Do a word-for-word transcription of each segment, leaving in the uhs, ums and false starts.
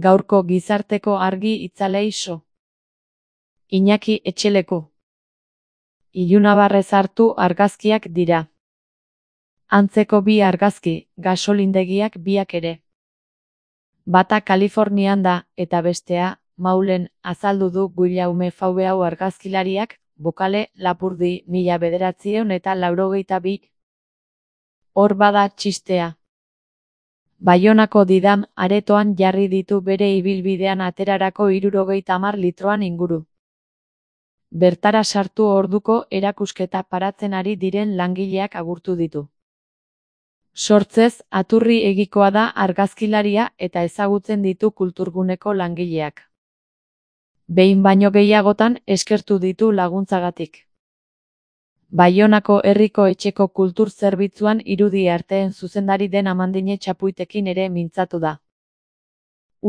Gaurko gizarteko argi itzalei so. Iñaki Etxeleku. Ilunabarrez hartu argazkiak dira. Antzeko bi argazki, gasolindegiak biak ere. Bata Kalifornian da, eta bestea, Maulen, azaldu du Guillaume Faubeu argazkilariak, Bokale, Lapurdi, mila bederatziehun eta laurogeita bi. Hor bada txistea. Baionako Didam aretoan jarri ditu bere ibilbidean aterarako hirurogeita hamar litroan inguru. Bertara sartu orduko erakusketa paratzen ari diren langileak agurtu ditu. Sortzez, aturri egikoa da argazkilaria eta ezagutzen ditu kulturguneko langileak. Behin baino gehiagotan eskertu ditu laguntzagatik. Baionako herriko etxeko kultur zerbitzuan irudi arteen zuzendari den Amandine Txapuitekin ere mintzatu da.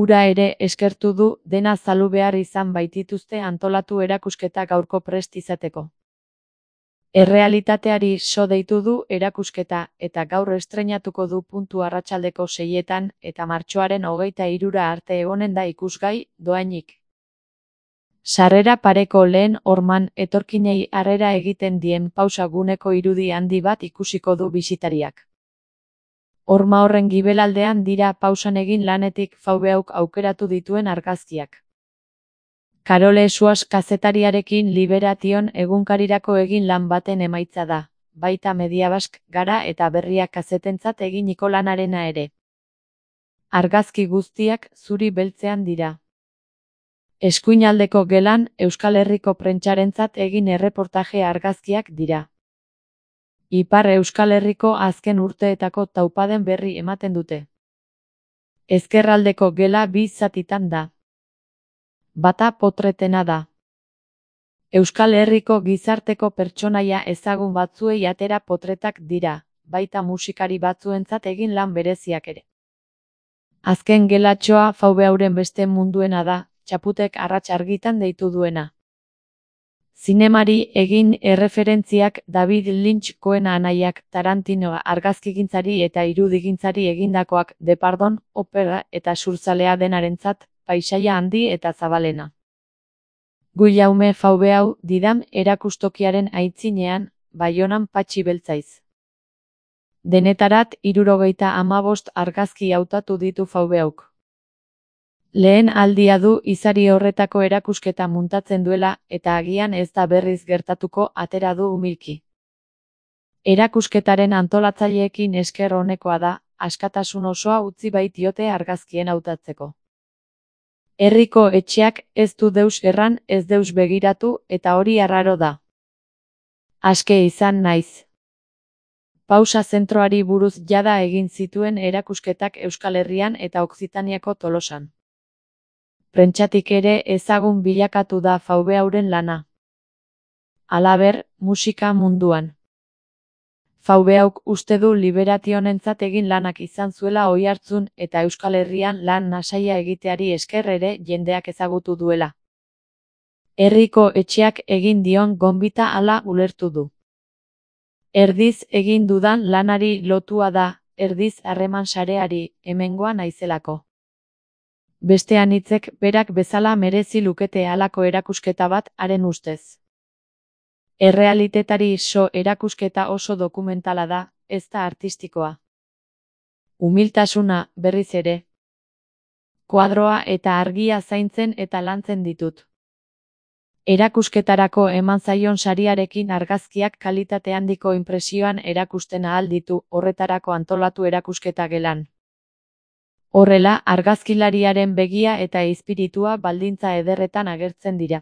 Ura ere eskertu du dena zalu behar izan baitituzte antolatu erakusketa gaurko prest izateko. Errealitateari so deitu du erakusketa eta gaur estreinatuko du puntu arratsaldeko seietan eta martxoaren hogeita hirura arte egonen da ikusgai, dohainik. Sarrera pareko lehen horman etorkinei harrera egiten dien pausa guneko irudi handi bat ikusiko du bisitariak. Horma horren gibelaldean dira pausan egin lanetik Faubeuk aukeratu dituen argazkiak. Karole Suas kazetariarekin Liberation egunkarirako egin lan baten emaitza da, baita Mediabask, Gara eta Berria kazetentzat eginiko lanarena ere. Argazki guztiak zuri beltzean dira. Eskuinaldeko gelan Euskal Herriko prentsarentzat egin erreportaje argazkiak dira. Ipar Euskal Herriko azken urteetako taupaden berri ematen dute. Ezkerraldeko gela bi zatitan da. Bata potretena da. Euskal Herriko gizarteko pertsonaia ezagun batzuei atera potretak dira, baita musikari batzuentzat egin lan bereziak ere. Azken gelatxoa Faubeuren beste munduena da, Txaputek arrats argitan deitu duena. Zinemari egin erreferentziak David Lynch-koen anaiak Tarantino argazkigintzari eta irudigintzari egindakoak Depardon, opera eta surzalea denarentzat, paisaia handi eta zabalena. Guillaume Faubeu Didam erakustokiaren aitzinean, Baionan Patxi Beltzaiz. Denetarat hirurogeita hamabost argazki hautatu ditu Faubeuk. Lehen aldia du izari horretako erakusketa muntatzen duela eta agian ez da berriz gertatuko atera du umilki. Erakusketaren antolatzaileekin esker honekoa da, askatasun osoa utzi baitiote argazkien hautatzeko. Herriko etxeak ez du deus erran, ez deus begiratu eta hori arraro da. Aske izan naiz. Pausa zentroari buruz jada egin zituen erakusketak Euskal Herrian eta Okzitaniako Tolosan. Prentsatik ere ezagun bilakatu da Faubeuren lana. Halaber, musika munduan. Faubeuk uste du Liberationentzat egin lanak izan zuela oihartzun eta Euskal Herrian lan nasaia egiteari esker ere jendeak ezagutu duela. Herriko etxeak egin dion gonbita hala ulertu du. Erdiz egin dudan lanari lotua da, erdiz harreman sareari, hemengoa naizelako. Beste anitzek berak bezala merezi lukete halako erakusketa bat haren ustez. Errealitetari so erakusketa oso dokumentala da, ez da artistikoa. Umiltasuna, berriz ere. Kuadroa eta argia zaintzen eta lantzen ditut. Erakusketarako eman zaion sariarekin argazkiak kalitate handiko inpresioan erakusten ahal ditu, horretarako antolatu erakusketa gelan. Horrela, argazkilariaren begia eta espiritua baldintza ederretan agertzen dira.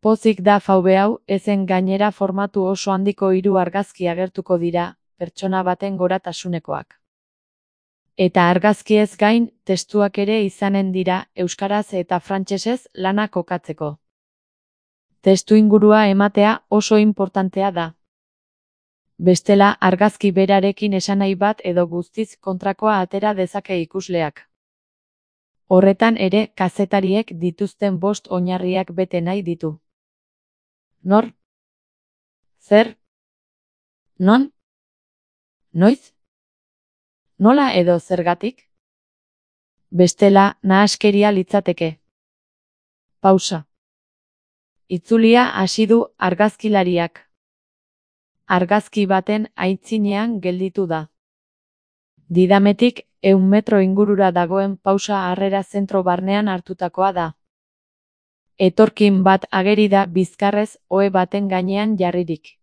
Pozik da Faubeu, ezen gainera formatu oso handiko hiru argazki agertuko dira, pertsona baten goratasunekoak. Eta argazkiez gain, testuak ere izanen dira, euskaraz eta frantsesez lana kokatzeko. Testu ingurua ematea oso inportantea da. Bestela argazki berarekin esanahi bat edo guztiz kontrakoa atera dezake ikusleak. Horretan ere, kazetariek dituzten bost oinarriak bete nahi ditu. Nor? Zer? Non? Noiz? Nola edo zergatik? Bestela, nahaskeria litzateke. Pausa. Itzulia hasi du argazkilariak. Argazki baten aitzinean gelditu da. Didametik, ehun metro ingurura dagoen pausa harrera zentro barnean hartutakoa da. Etorkin bat ageri da bizkarrez ohe baten gainean jarririk.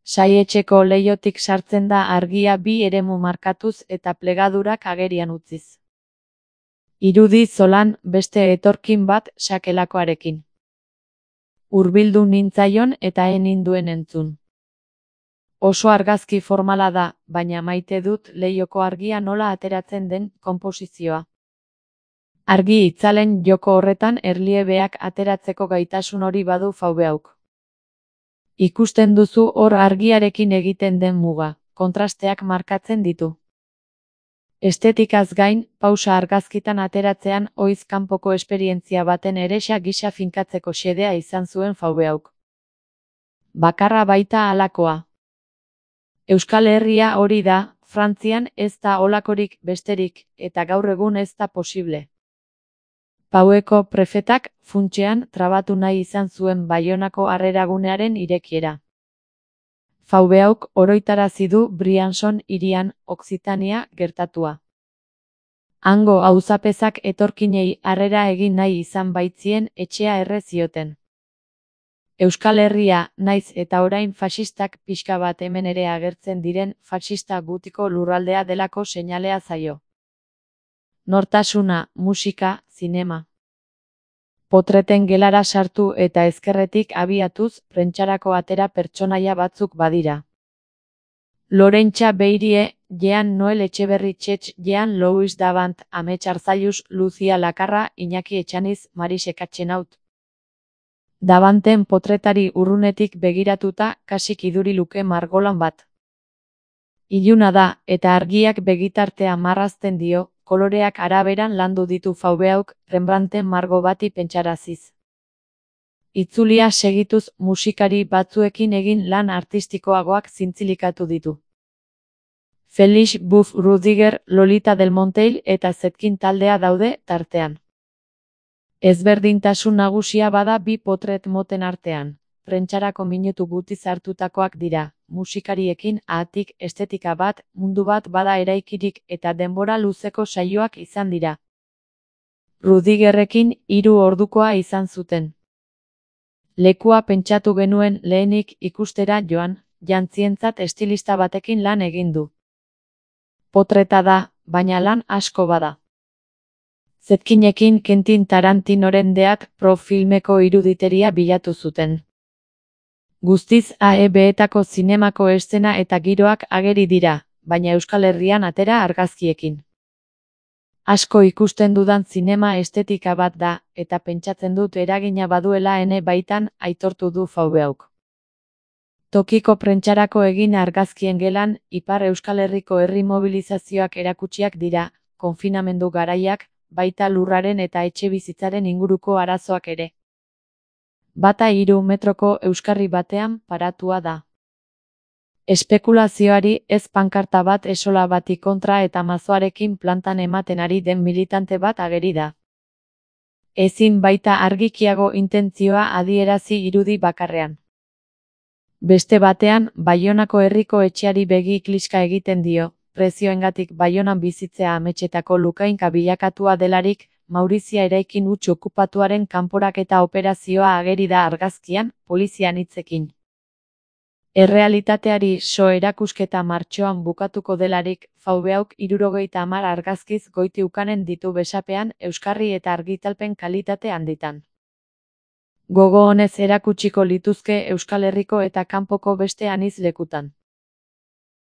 Saihetxeko leihotik sartzen da argia bi eremu markatuz eta plegadurak agerian utziz. Irudi zolan beste etorkin bat sakelakoarekin. Hurbildu nintzaion eta ez ninduen entzun. Oso argazki formala da, baina maite dut leihoko argia nola ateratzen den konposizioa. Argi itzalen joko horretan erliebeak ateratzeko gaitasun hori badu Fauveauk. Ikusten duzu hor argiarekin egiten den muga, kontrasteak markatzen ditu. Estetikaz gain, pausa argazkitan ateratzean ohiz kanpoko esperientzia baten erexa gisa finkatzeko xedea izan zuen Fauveauk. Bakarra baita halakoa. Euskal Herria hori da, Frantzian ez da holakorik besterik, eta gaur egun ez da posible. Paueko prefetak, funtsean, trabatu nahi izan zuen Baionako harreragunearen irekiera. Fauveauk oroitarazi du Briançon hirian, Okzitania, gertatua. Hango auzapezak etorkinei harrera egin nahi izan baitzien etxea erre zioten. Euskal Herria, naiz eta orain faxistak pixka bat hemen ere agertzen diren faxista gutiko lurraldea delako seinalea zaio. Nortasuna, musika, zinema. Potreten gelara sartu eta ezkerretik abiatuz prentsarako atera pertsonaia batzuk badira. Lorentxa Beirie, Jean Noel Etxeberri Txetx, Jean Louis Davant, Amets Arzallus, Lucia Lakarra, Iñaki Etxaniz, Marise Katxenaut. Davanten potretari urrunetik begiratuta kasik iduri luke margolan bat. Iluna da, eta argiak begitartea marrazten dio, koloreak araberan landu ditu Fauveauk Rembrandten margo bati pentsaraziz. Itzulia segituz musikari batzuekin egin lan artistikoagoak zintzilikatu ditu. Felix Buff Rudiger, Lolita Del Monteil eta Zetkin taldea daude tartean. Ezberdintasun nagusia bada bi potret moten artean. Prentsarako minutu gutiz hartutakoak dira, musikariekin ahatik estetika bat, mundu bat bada eraikirik eta denbora luzeko saioak izan dira. Rudigerrekin hiru ordukoa izan zuten. Lekua pentsatu genuen lehenik ikustera joan, jantzientzat estilista batekin lan egin du. Potreta da, baina lan asko bada. Zetkinekin Quentin Tarantinoren deak pro filmeko iruditeria bilatu zuten. Guztiz A E B-etako zinemako eszena eta giroak ageri dira, baina Euskal Herrian atera argazkiekin. Asko ikusten dudan zinema estetika bat da, eta pentsatzen dut eragina baduela ene baitan, aitortu du Fauveauk. Tokiko prentsarako egin argazkien gelan, Ipar Euskal Herriko herri mobilizazioak erakutsiak dira, konfinamendu garaiak, baita lurraren eta etxebizitzaren inguruko arazoak ere. Bata hiru metroko euskarri batean paratua da. Espekulazioari ez pankarta bat esola bati kontra eta mazoarekin plantan ematen ari den militante bat ageri da. Ezin baita argikiago intentzioa adierazi irudi bakarrean. Beste batean, Baionako herriko etxeari begi kliska egiten dio, prezioengatik Baionan bizitzea ametsetako lukainka bilakatua delarik, Maurizia eraikin huts okupatuaren kanporaketa operazioa ageri da argazkian, polizian hitzekin. Errealitateari so erakusketa martxoan bukatuko delarik, Fauveauk hirurogeita hamar argazkiz goiti ukanen ditu besapean euskarri eta argitalpen kalitate handitan. Gogo honez erakutsiko lituzke Euskal Herriko eta kanpoko beste anitz lekutan.